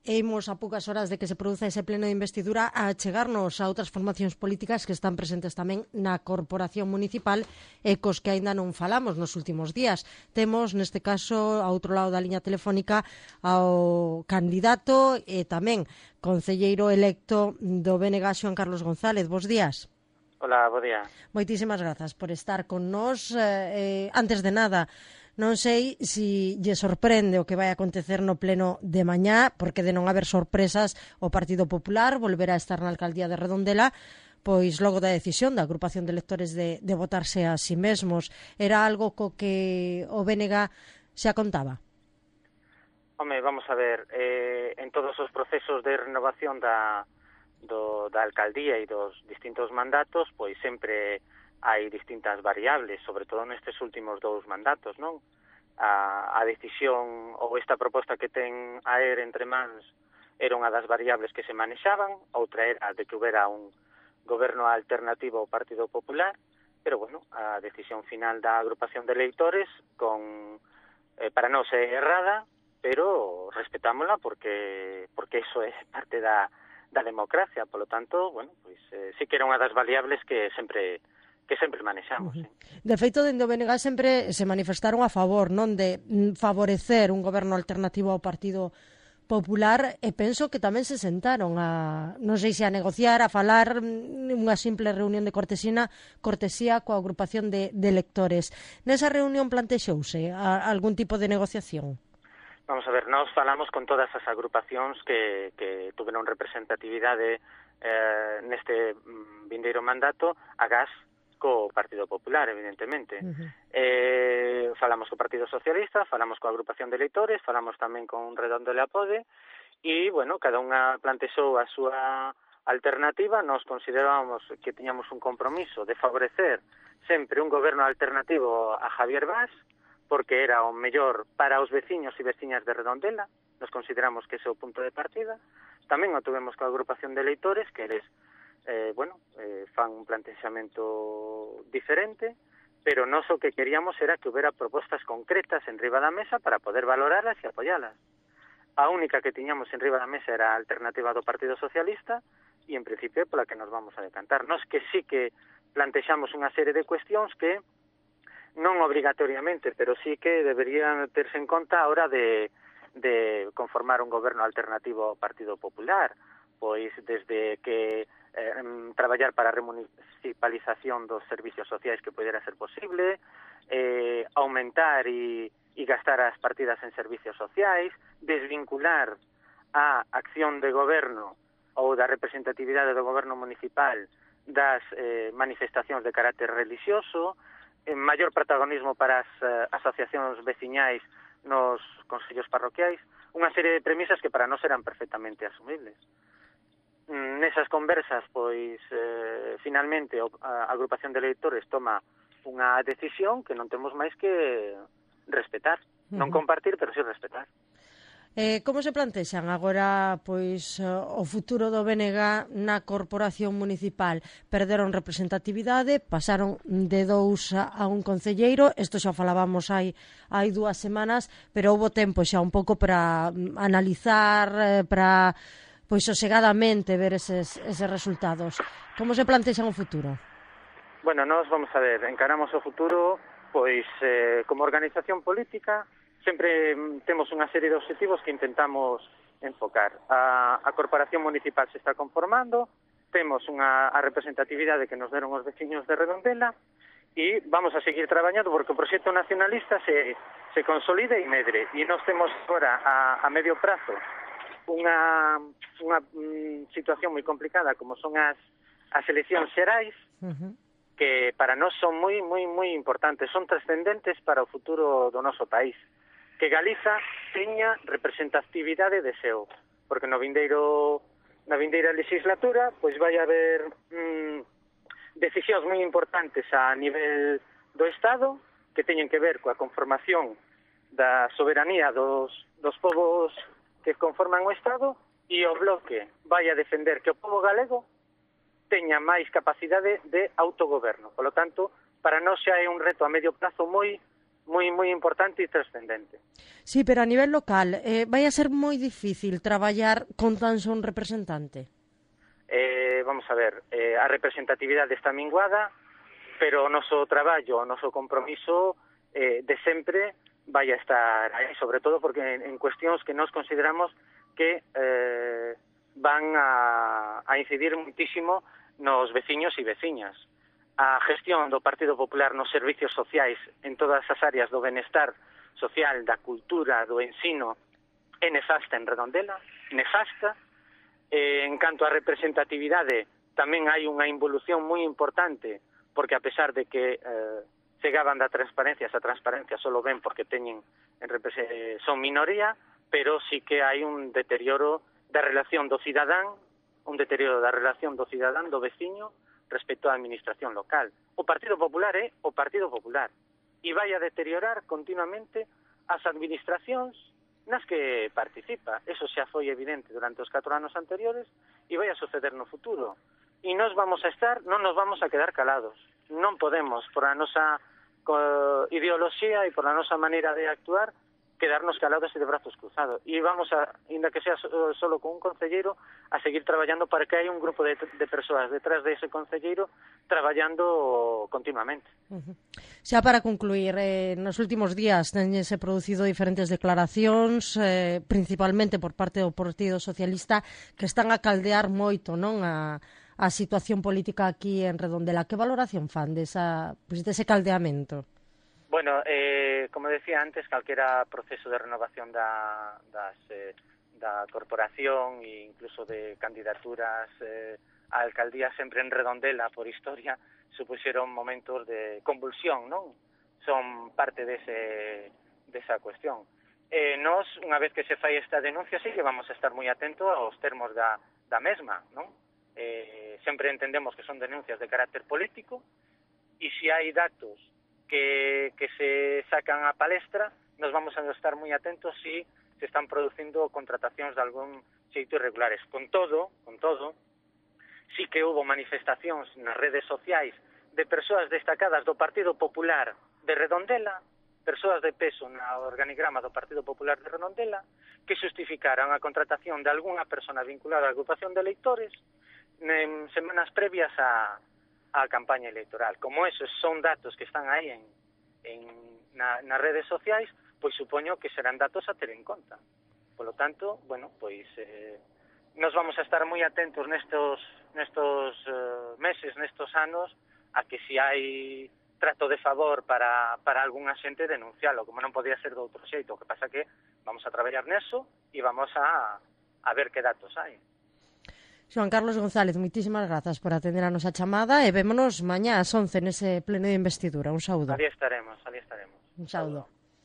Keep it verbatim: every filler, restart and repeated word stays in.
e imos a poucas horas de que se produza ese pleno de investidura a chegarnos a outras formacións políticas que están presentes tamén na Corporación Municipal e cos que aínda non falamos nos últimos días. Temos, neste caso, a outro lado da liña telefónica ao candidato e tamén concelleiro electo do B N G, Xoán Carlos González. Bos días. Hola, bo día. Moitísimas grazas por estar con nós. Eh, antes de nada, non sei se lle sorprende o que vai acontecer no pleno de mañá, porque de non haber sorpresas, o Partido Popular volverá a estar na alcaldía de Redondela, pois logo da decisión da agrupación de electores de, de votarse a si mesmos. Era algo co que o B N G xa contaba? Home, vamos a ver, eh, en todos os procesos de renovación da... Do, da alcaldía e dos distintos mandatos, pois sempre hai distintas variables, sobre todo nestes últimos dous mandatos, non? A, a decisión ou esta proposta que ten a E R entre mans era unha das variables que se manexaban, outra era de que houbera un goberno alternativo ao Partido Popular, pero, bueno, a decisión final da agrupación de electores con, eh, para non ser errada, pero respetámola porque porque iso é parte da da democracia, polo tanto, bueno, pois eh, sí que era unha das variables que sempre que sempre manexamos. Uh -huh. Sí. De feito, dende o B N G sempre se manifestaron a favor, non, de favorecer un goberno alternativo ao Partido Popular, e penso que tamén se sentaron a, non sei se a negociar, a falar unha simple reunión de cortesía, cortesía coa agrupación de, de electores. Nesa reunión plantexouse a, algún tipo de negociación? Vamos a ver, nós falamos con todas as agrupacións que, que tuveron representatividade eh, neste vindeiro mandato, agás co Partido Popular, evidentemente. Uh -huh. eh, falamos co Partido Socialista, falamos coa agrupación de electores, falamos tamén con Redondela Pode, e, bueno, cada unha plantexou a súa alternativa. Nos considerábamos que tiñamos un compromiso de favorecer sempre un goberno alternativo a Javier Bas, porque era o mellor para os veciños e veciñas de Redondela. Nos consideramos que ese é o punto de partida. Tamén o tuvemos coa agrupación de electores, que eles, eh, bueno, eh, fan un plantexamento diferente, pero nós o que queríamos era que houbera propostas concretas en riba da mesa para poder valoralas e apoyalas. A única que tiñamos en riba da mesa era a alternativa do Partido Socialista, e en principio pola que nos vamos a decantar. Nós que sí que plantexamos unha serie de cuestións que non obrigatoriamente, pero sí que deberían terse en conta a hora de, de conformar un goberno alternativo ao Partido Popular, pois desde que eh, traballar para a remunicipalización dos servicios sociais que pudera ser posible, eh, aumentar e, e gastar as partidas en servicios sociais, desvincular a acción de goberno ou da representatividade do goberno municipal das eh, manifestacións de carácter religioso, en maior protagonismo para as uh, asociacións veciñais nos consellos parroquiais, unha serie de premisas que para nós eran perfectamente asumibles. Mm, nesas conversas, pois, eh, finalmente, a agrupación de electores toma unha decisión que non temos máis que respetar. Uh-huh. Non compartir, pero sí respetar. Eh, como se plantexan agora pois o futuro do B N G na Corporación Municipal? Perderon representatividade, pasaron de dous a un concelleiro, isto xa falábamos hai, hai dúas semanas, pero houbo tempo xa un pouco para analizar, para pois sosegadamente ver eses, eses resultados. Como se plantexan o futuro? Bueno, nós vamos a ver, encaramos o futuro pois eh, como organización política. Sempre temos unha serie de objetivos que intentamos enfocar. A, a Corporación Municipal se está conformando, temos unha a representatividade que nos deron os veciños de Redondela e vamos a seguir traballando porque o proxecto nacionalista se, se consolide e medre. E nós temos agora a, a medio prazo unha, unha mm, situación moi complicada como son as, as eleccións xerais, uh-huh. que para nós son moi, moi, moi importantes, son trascendentes para o futuro do noso país. Que Galiza teña representatividade de seo, porque no vindeiro, na vindeira legislatura pois vai haber mm, decisións moi importantes a nivel do Estado que teñen que ver coa conformación da soberanía dos, dos povos que conforman o Estado, e o Bloque vai a defender que o povo galego teña máis capacidade de autogoberno. Por lo tanto, para nós xa é un reto a medio prazo moi moi moi importante e trascendente. Sí, pero a nivel local, eh, vai a ser moi difícil traballar con tan só un representante? Eh, vamos a ver, eh, a representatividade está minguada, pero o noso traballo, o noso compromiso eh, de sempre vai a estar aí, sobre todo porque en, en cuestións que nos consideramos que eh, van a, a incidir muitísimo nos veciños e veciñas. A gestión do Partido Popular nos servicios sociais en todas as áreas do benestar social, da cultura, do ensino, é nefasta en Redondela, nefasta. Eh, en canto a representatividade, tamén hai unha involución moi importante, porque a pesar de que eh, chegaban da transparencia, esa transparencia só ven porque teñen en repre- son minoría, pero sí que hai un deterioro da relación do cidadán, un deterioro da relación do cidadán, do veciño, respecto á administración local. O Partido Popular é o Partido Popular e vai a deteriorar continuamente as administracións nas que participa. Eso xa foi evidente durante os catro anos anteriores e vai a suceder no futuro. E nos vamos a estar, non nos vamos a quedar calados. Non podemos, por a nosa uh, ideoloxía e por a nosa maneira de actuar, quedarnos calados e de brazos cruzados. E vamos a, ainda que sea so, solo con un concelleiro, a seguir traballando para que hai un grupo de, de persoas detrás de ese concelleiro traballando continuamente. Uh-huh. Xa para concluir, eh, nos últimos días tense producido diferentes declaracións, eh, principalmente por parte do Partido Socialista, que están a caldear moito, non, a, a situación política aquí en Redondela. Que valoración fan desa, pues, dese caldeamento? Bueno, eh, como decía antes, calquera proceso de renovación da, das, eh, da corporación e incluso de candidaturas eh, a alcaldía sempre en Redondela, por historia, supuxeron momentos de convulsión, non? Son parte dese, desa cuestión. Eh, nos, unha vez que se fai esta denuncia, sí que vamos a estar moi atentos aos termos da, da mesma, non? Eh, sempre entendemos que son denuncias de carácter político e se hai datos que, que se sacan a palestra, nos vamos a estar moi atentos se se están producindo contratacións de algún xeito irregulares. Con todo, con todo, sí que hubo manifestacións nas redes sociais de persoas destacadas do Partido Popular de Redondela, persoas de peso na organigrama do Partido Popular de Redondela, que justificaran a contratación de algunha persona vinculada á agrupación de electores en semanas previas a a campaña electoral. Como esos son datos que están aí en, en na, nas redes sociais, pois supoño que serán datos a ter en conta. Por lo tanto, bueno, pois eh, nos vamos a estar moi atentos nestos nestos uh, meses, nestos anos, a que se hai trato de favor para, para algunha xente denuncialo, como non podía ser de outro xeito. O que pasa que vamos a traballar neso e vamos a, a ver que datos hai. Xoan Carlos González, moitísimas grazas por atender a nosa chamada e vémonos mañá ás once nese pleno de investidura. Un saúdo. Ali estaremos, ali estaremos. Un saúdo.